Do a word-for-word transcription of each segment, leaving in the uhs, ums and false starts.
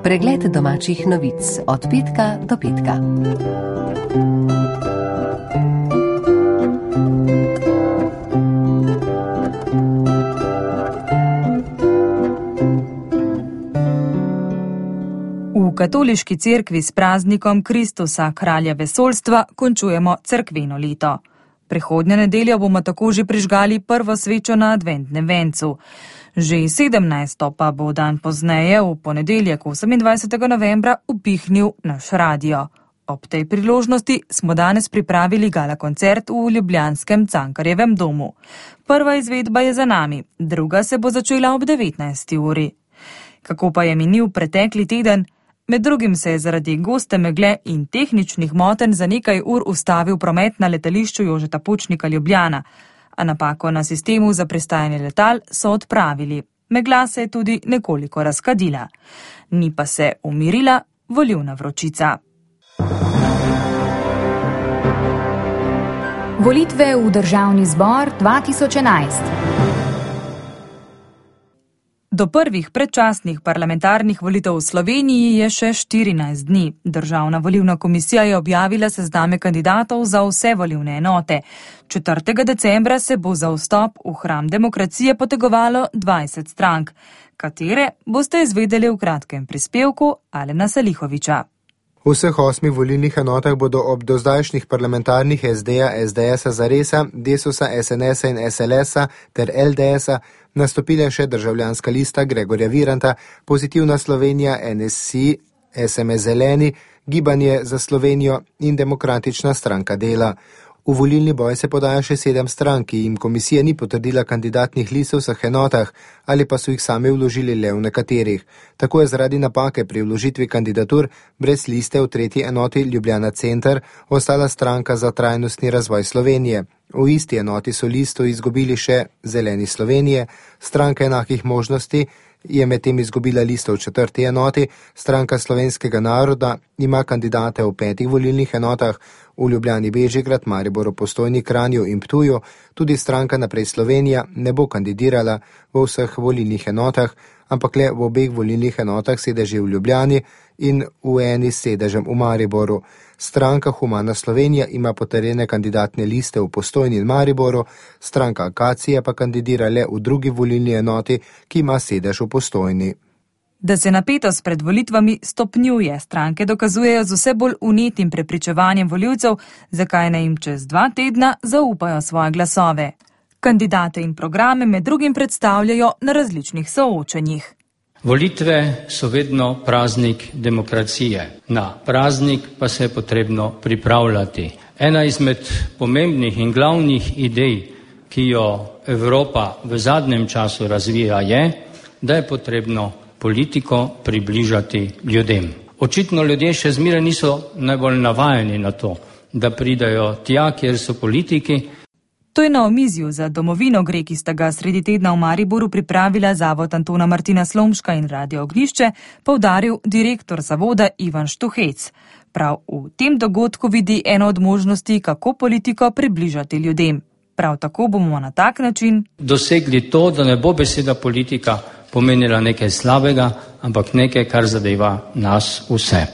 Pregled domačih novic od petka do petka. V katoliški cerkvi s praznikom Kristusa, kralja vesoljstva, končujemo cerkveno leto. Prihodnjo nedeljo bomo tako že prižgali prvo svečo na adventnem vencu. Že sedemnajsto pa bo dan pozneje, v ponedeljek osemindvajsetega novembra, upihnil naš radio. Ob tej priložnosti smo danes pripravili gala koncert v ljubljanskem Cankarjevem domu. Prva izvedba je za nami, druga se bo začela ob devetnajsti uri. Kako pa je minil pretekli teden? Med drugim se je zaradi goste megle in tehničnih motenj za nekaj ur ustavil promet na letališču Jožeta Pučnika Ljubljana, a napako na sistemu za pristajanje letal so odpravili. Megla se je tudi nekoliko razkadila. Ni pa se umirila volilna vročica. Volitve v Državni zbor dva tisoč enajst. Do prvih predčasnih parlamentarnih volitev v Sloveniji je še štirinajst dni. Državna volilna komisija je objavila sezname kandidatov za vse volilne enote. četrtega decembra se bo za vstop v hram demokracije potegovalo dvajset strank. Katere boste izvedeli v kratkem prispevku Alena Salihoviča. V vseh osmih volilnih enotah bodo ob dozdajšnjih parlamentarnih es de-ja, es de es-a, Zaresa, Desusa, es en es-a in es el es-a ter el de es-a nastopile še Državljanska lista Gregorja Viranta, Pozitivna Slovenija, en es si, es em es Zeleni, Gibanje za Slovenijo in Demokratična stranka dela. V volilni boj se podaja še sedem strank, ki jim komisija ni potrdila kandidatnih list v vseh enotah ali pa so jih sami vložili le v nekaterih. Tako je zaradi napake pri vložitvi kandidatur brez liste v tretji enoti Ljubljana Center ostala stranka za trajnostni razvoj Slovenije. V isti enoti so listo izgubili še Zeleni Slovenije, stranka enakih možnosti je medtem izgubila listo v četrti enoti, stranka Slovenskega naroda ima kandidate v petih volilnih enotah, v Ljubljani, Bežigrad, Mariboru, Postojni, Kranju in Ptuju, tudi stranka Naprej Slovenija ne bo kandidirala v vseh volilnih enotah, ampak le v obeh volilnih enotah sedeži v Ljubljani in v eni s sedežem v Mariboru. Stranka Humana Slovenija ima potrjene kandidatne liste v Postojni in Mariboru, stranka Akacija pa kandidira le v drugi volilni enoti, ki ima sedež v Postojni. Da se napetost pred volitvami stopnjuje, stranke dokazujejo z vse bolj vnetim prepričevanjem volivcev, zakaj naj jim čez dva tedna zaupajo svoje glasove. Kandidate in programe med drugim predstavljajo na različnih soočenjih. Volitve so vedno praznik demokracije. Na praznik pa se je potrebno pripravljati. Ena izmed pomembnih in glavnih idej, ki jo Evropa v zadnjem času razvija, je, da je potrebno politiko približati ljudem. Očitno ljudje še zmeraj niso najbolj navajeni na to, da pridajo tja, kjer so politiki. To je na omizju za domovino gre, ki sta ga sredi tedna v Mariboru pripravila Zavod Antona Martina Slomška in Radio Ognjišče, poudaril direktor zavoda Ivan Štuhec. Prav v tem dogodku vidi eno od možnosti, kako politiko približati ljudem. Prav tako bomo na tak način dosegli to, da ne bo beseda politika pomenila nekaj slabega, ampak nekaj, kar zadeva nas vse.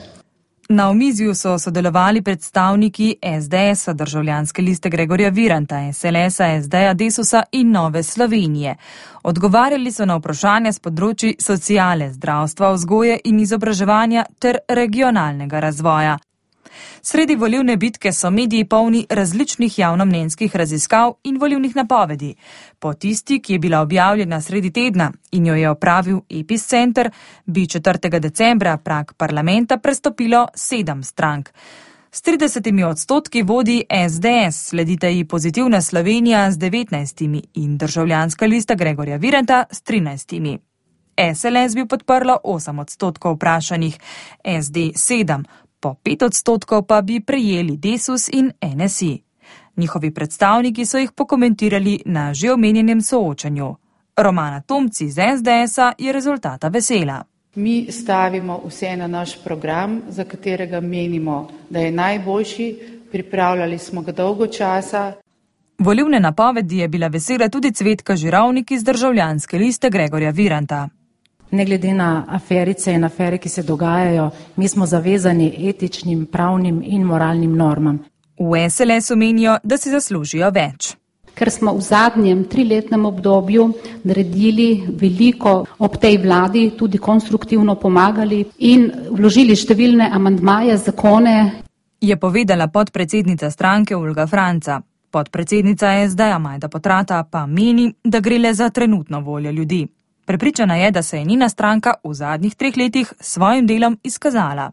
Na omizju so sodelovali predstavniki es de es-a, Državljanske liste Gregorja Viranta, es el es-a, es de-ja, Desusa in Nove Slovenije. Odgovarjali so na vprašanja s področji sociale, zdravstva, vzgoje in izobraževanja ter regionalnega razvoja. Sredi volilne bitke so mediji polni različnih javnomnenjskih raziskav in volilnih napovedi. Po tisti, ki je bila objavljena sredi tedna in jo je opravil Epicenter, bi četrtega decembra prag parlamenta prestopilo sedem strank. S tridesetimi odstotki vodi es de es, sledita ji Pozitivna Slovenija z devetnajstimi in Državljanska lista Gregorja Viranta s trinajstimi. es el es bi podprlo osem odstotkov vprašanih, es de sedem, po pet odstotkov pa bi prejeli Desus in en es si. Njihovi predstavniki so jih pokomentirali na že omenjenem soočanju. Romana Tomci z es de es-a je rezultata vesela. Mi stavimo vse na naš program, za katerega menimo, da je najboljši, pripravljali smo ga dolgo časa. Volilne napovedi je bila vesela tudi Cvetka Žirovnik iz Državljanske liste Gregorja Viranta. Ne glede na aferice in afere, ki se dogajajo, mi smo zavezani etičnim, pravnim in moralnim normam. V S L S menijo, da si zaslužijo več. Ker smo v zadnjem triletnem obdobju naredili veliko ob tej vladi, tudi konstruktivno pomagali in vložili številne amandmaje, zakone. Je povedala podpredsednica stranke Olga Franca. Podpredsednica S D-ja Majda Potrata pa meni, da gre le za trenutno voljo ljudi. Prepričana je, da se je njena stranka v zadnjih treh letih s svojim delom izkazala.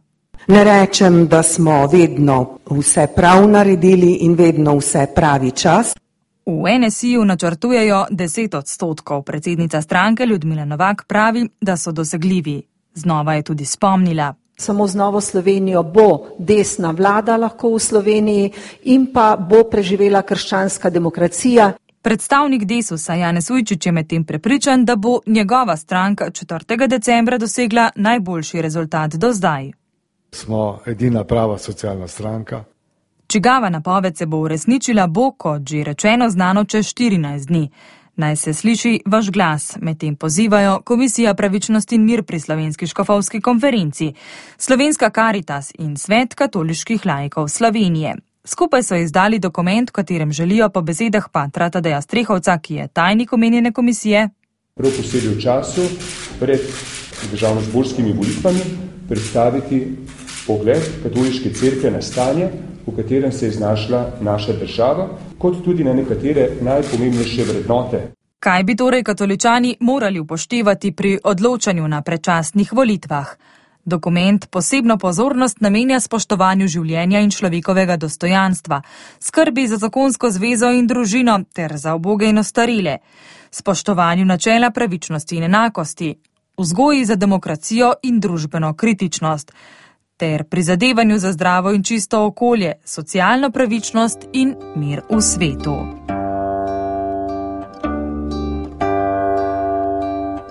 Ne rečem, da smo vedno vse prav naredili in vedno vse pravi čas. V N S I-ju načrtujejo deset odstotkov. Predsednica stranke Ljudmila Novak pravi, da so dosegljivi. Znova je tudi spomnila. Samo z Novo Slovenijo bo desna vlada lahko v Sloveniji in pa bo preživela krščanska demokracija. Predstavnik Desusa Janez Ujčič je medtem prepričan, da bo njegova stranka četrtega decembra dosegla najboljši rezultat do zdaj. Smo edina prava socialna stranka. Čigava napoved se bo uresničila, bo, kot že rečeno, znano čez štirinajst dni. Naj se sliši vaš glas, medtem pozivajo Komisija pravičnosti in mir pri Slovenski škofovski konferenci, Slovenska Karitas in Svet katoliških laikov Slovenije. Skupaj so izdali dokument, v katerem želijo po besedah patra Tadeja Strehovca, ki je tajnik omenjene komisije, prav posebej v času pred državnozborskimi volitvami predstaviti pogled katoliške cerkve na stanje, v katerem se je znašla naša država, kot tudi na nekatere najpomembnejše vrednote. Kaj bi torej katoličani morali upoštevati pri odločanju na predčasnih volitvah? Dokument posebno pozornost namenja spoštovanju življenja in človekovega dostojanstva, skrbi za zakonsko zvezo in družino ter za uboge in ostarele, spoštovanju načela pravičnosti in enakosti, vzgoji za demokracijo in družbeno kritičnost, ter prizadevanju za zdravo in čisto okolje, socialno pravičnost in mir v svetu.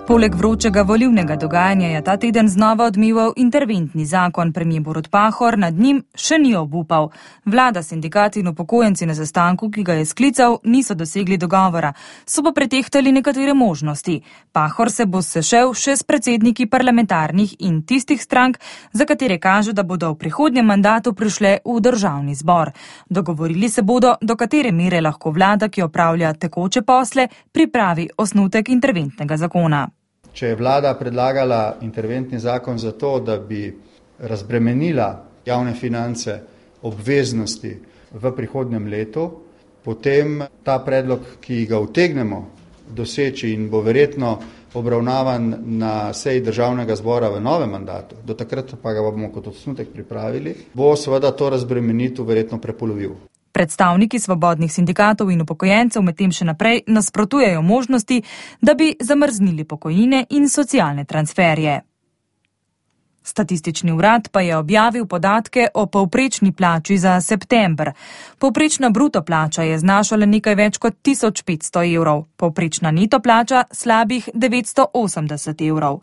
Poleg vročega volilnega dogajanja je ta teden znova odmeval interventni zakon. Premier Borut Pahor nad njim še ni obupal. Vlada, sindikati in upokojenci na sestanku, ki ga je sklical, niso dosegli dogovora. So pa pretehtali nekatere možnosti. Pahor se bo sešel še s predsedniki parlamentarnih in tistih strank, za katere kaže, da bodo v prihodnjem mandatu prišle v državni zbor. Dogovorili se bodo, do katere mere lahko vlada, ki opravlja tekoče posle, pripravi osnutek interventnega zakona. Če je vlada predlagala interventni zakon za to, da bi razbremenila javne finance obveznosti v prihodnjem letu, potem ta predlog, ki ga utegnemo doseči in bo verjetno obravnavan na seji državnega zbora v novem mandatu, do takrat pa ga bomo kot osnutek pripravili, bo seveda to razbremenitev verjetno prepolovil. Predstavniki svobodnih sindikatov in upokojencev medtem še naprej nasprotujejo možnosti, da bi zamrznili pokojnine in socialne transferje. Statistični urad pa je objavil podatke o povprečni plači za september. Povprečna bruto plača je znašala nekaj več kot tisoč petsto evrov, povprečna neto plača slabih devetsto osemdeset evrov.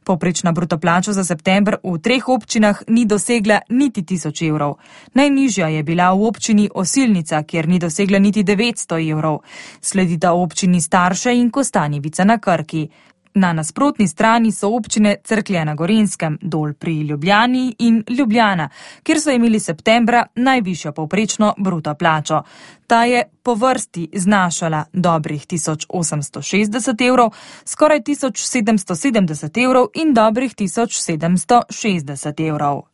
Povprečna bruto plača za september v treh občinah ni dosegla niti tisoč evrov. Najnižja je bila v občini Osilnica, kjer ni dosegla niti devetsto evrov. Sledita občini Starše in Kostanjevica na Krki. Na nasprotni strani so občine Cerklje na Gorenjskem, Dol pri Ljubljani in Ljubljana, kjer so imeli septembra najvišjo povprečno bruto plačo. Ta je po vrsti znašala dobrih tisoč osemsto šestdeset evrov, skoraj tisoč sedemsto sedemdeset evrov in dobrih tisoč sedemsto šestdeset evrov.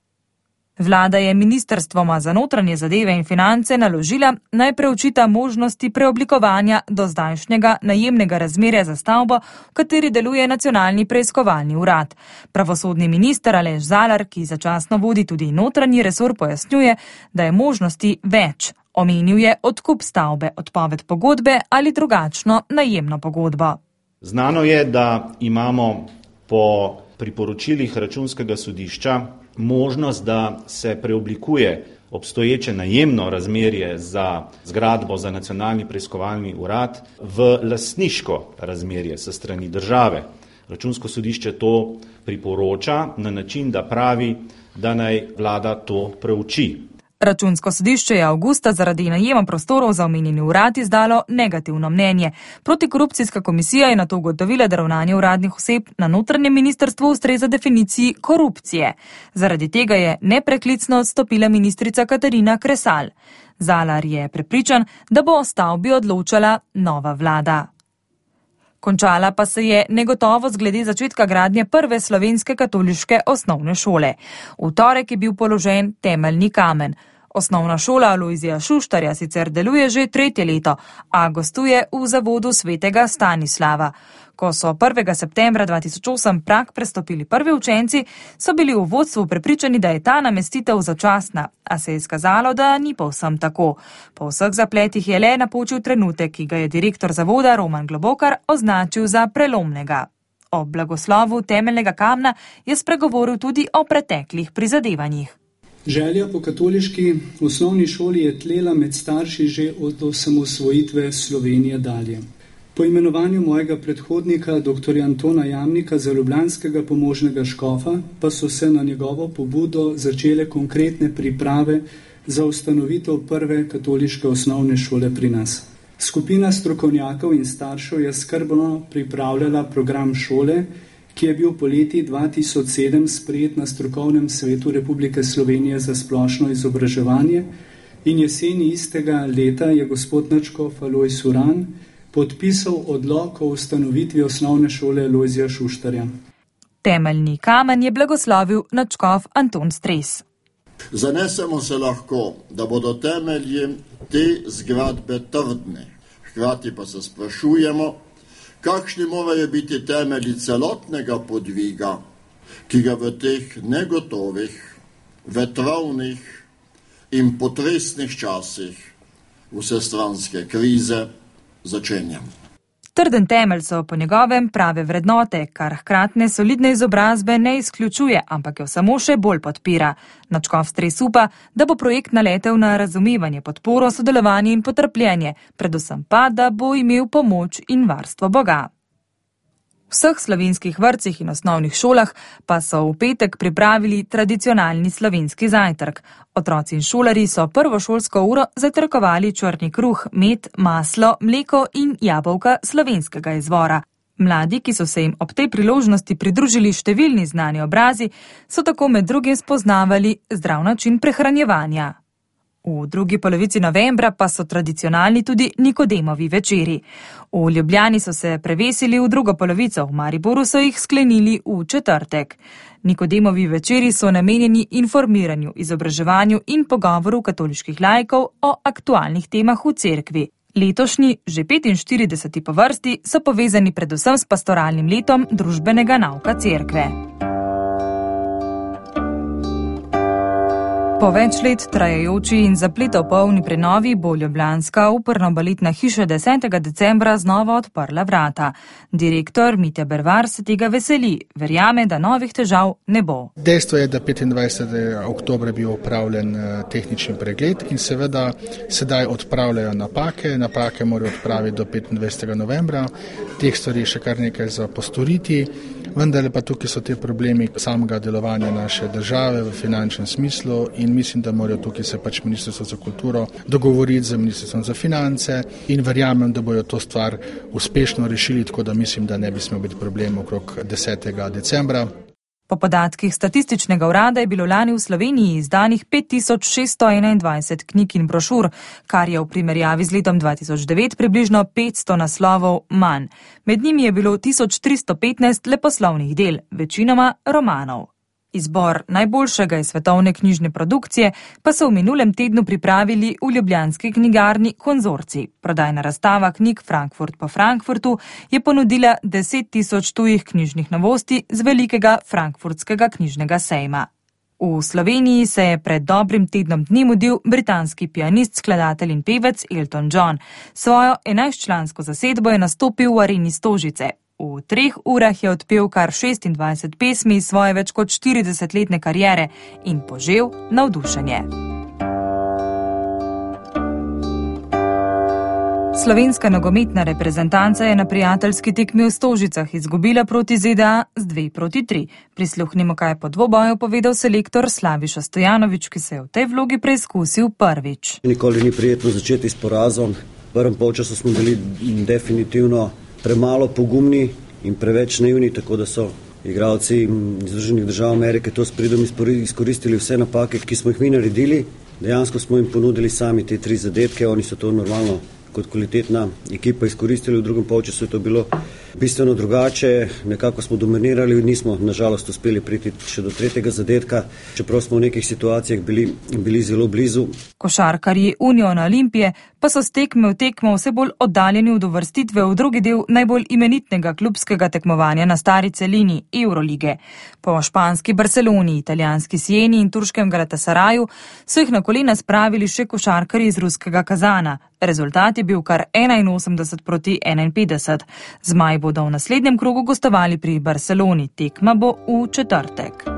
Vlada je ministrstvoma za notranje zadeve in finance naložila, naj preučita možnosti preoblikovanja dozdajšnjega najemnega razmerja za stavbo, v kateri deluje nacionalni preiskovalni urad. Pravosodni minister Aleš Zalar, ki začasno vodi tudi notranji resor, pojasnjuje, da je možnosti več. Omenil je odkup stavbe, odpoved pogodbe ali drugačno najemno pogodbo. Znano je, da imamo po priporočilih Računskega sodišča možnost, da se preoblikuje obstoječe najemno razmerje za zgradbo za nacionalni preiskovalni urad v lastniško razmerje sa strani države. Računsko sodišče to priporoča na način, da pravi, da naj vlada to preuči. Računsko sodišče je avgusta zaradi najema prostorov za omenjeni urad izdalo negativno mnenje. Protikorupcijska komisija je nato ugotovila, da ravnanje uradnih oseb na notranjem ministrstvu ustreza definiciji korupcije. Zaradi tega je nepreklicno odstopila ministrica Katarina Kresal. Zalar je prepričan, da bo o stavbi odločala nova vlada. Končala pa se je negotovost glede začetka gradnje prve slovenske katoliške osnovne šole. V torek je bil položen temeljni kamen. Osnovna šola Alojzija Šuštarja sicer deluje že tretje leto, a gostuje v zavodu svetega Stanislava. Ko so prvega septembra dva tisoč osem prag prestopili prvi učenci, so bili v vodstvu prepričani, da je ta namestitev začasna, a se je izkazalo, da ni povsem tako. Po vseh zapletih je le napočil trenutek, ki ga je direktor zavoda Roman Globokar označil za prelomnega. O blagoslovu temeljnega kamna je spregovoril tudi o preteklih prizadevanjih. Želja po katoliški osnovni šoli je tlela med starši že od osamosvojitve Slovenije dalje. Po imenovanju mojega predhodnika, doktorja Antona Jamnika, za ljubljanskega pomožnega škofa, pa so se na njegovo pobudo začele konkretne priprave za ustanovitev prve katoliške osnovne šole pri nas. Skupina strokovnjakov in staršev je skrbno pripravljala program šole, ki je bil poleti dva tisoč sedem sprejet na Strokovnem svetu Republike Slovenije za splošno izobraževanje in jeseni istega leta je gospod nadškof Alojz Uran podpisal odlok o ustanovitvi osnovne šole Alojzija Šuštarja. Temeljni kamen je blagoslovil nadškof Anton Stres. Zanesemo se lahko, da bodo temelji te zgradbe trdni. Hkrati pa se sprašujemo, kakšni morajo biti temelji celotnega podviga, ki ga v teh negotovih, vetrovnih in potresnih časih vsestranske krize začenjam. Trden temelj so po njegovem prave vrednote, kar hkratne solidne izobrazbe ne izključuje, ampak jo samo še bolj podpira. Nadškof Stres upa, da bo projekt naletel na razumevanje, podporo, sodelovanje in potrpljenje, predvsem pa, da bo imel pomoč in varstvo Boga. V vseh slovenskih vrtcih in osnovnih šolah pa so v petek pripravili tradicionalni slovenski zajtrk. Otroci in šolarji so prvo šolsko uro zajtrkovali črni kruh, med, maslo, mleko in jabolka slovenskega izvora. Mladi, ki so se jim ob tej priložnosti pridružili številni znani obrazi, so tako med drugim spoznavali zdrav način prehranjevanja. V drugi polovici novembra pa so tradicionalni tudi Nikodemovi večeri. V Ljubljani so se prevesili v drugo polovico, v Mariboru so jih sklenili v četrtek. Nikodemovi večeri so namenjeni informiranju, izobraževanju in pogovoru katoliških laikov o aktualnih temah v cerkvi. Letošnji, že petinštirideseti po vrsti, so povezani predvsem s pastoralnim letom družbenega nauka cerkve. Po več let trajajoči in zapletov polni prenovi bo ljubljanska operno-baletna hiša desetega decembra znova odprla vrata. Direktor Mitja Bervar se tega veseli, verjame, da novih težav ne bo. Dejstvo je, da petindvajsetega oktobra je bil opravljen tehnični pregled in seveda sedaj odpravljajo napake. Napake morajo odpraviti do petindvajsetega novembra. Teh stvari še kar nekaj za postoriti. Vendar pa tukaj so te problemi samega delovanja naše države v finančnem smislu in mislim, da morajo tukaj se pač Ministrstvo za kulturo dogovoriti z Ministrstvom za finance in verjamem, da bojo to stvar uspešno rešili, tako da mislim, da ne bi smel biti problem okrog desetega decembra. Po podatkih statističnega urada je bilo lani v Sloveniji izdanih pet tisoč šeststo enaindvajset knjig in brošur, kar je v primerjavi z letom dva tisoč devet približno petsto naslovov manj. Med njimi je bilo tisoč tristo petnajst leposlovnih del, večinoma romanov. Izbor najboljšega iz svetovne knjižne produkcije pa so v minulem tednu pripravili v ljubljanski knjigarni Konzorcij. Prodajna razstava knjig Frankfurt po Frankfurtu je ponudila deset tisoč tujih knjižnih novosti z velikega frankfurtskega knjižnega sejma. V Sloveniji se je pred dobrim tednom dni mudil britanski pianist, skladatelj in pevec Elton John. Svojo enajstčlansko zasedbo je nastopil v areni Stožice. V treh urah je odpel kar šestindvajset pesmi iz svoje več kot štiridesetletne kariere in požel navdušenje. Slovenska nogometna reprezentanca je na prijateljski tekmi v Stožicah izgubila proti Z D A z dve proti tri. Prisluhnimo, kaj je po dvoboju povedal selektor Slaviša Stojanovič, ki se je v tej vlogi preizkusil prvič. Nikoli ni prijetno začeti s porazom. V prvem polčasu smo bili definitivno premalo pogumni in preveč naivni, tako da so igralci Združenih držav Amerike to s pridom izkoristili vse napake, ki smo jih mi naredili. Dejansko smo jim ponudili sami te tri zadetke, oni so to normalno kot kvalitetna ekipa izkoristili. V drugem polčasu je to bilo bistveno drugače, nekako smo dominirali, nismo nažalost uspeli priti še do tretjega zadetka, čeprav smo v nekih situacijah bili, bili zelo blizu. Košarkarji Uniona Olimpije pa so s tekme v tekmo vse bolj oddaljeni od uvrstitve v drugi del najbolj imenitnega klubskega tekmovanja na stari celini Eurolige. Po španski Barceloni, italijanski Sieni in turškem Galatasaraju so jih na kolena spravili še košarkarji iz ruskega Kazana. Rezultat je bil kar enainosemdeset proti enainpetdeset. Zmaji bodo v naslednjem krogu gostovali pri Barceloni. Tekma bo v četrtek.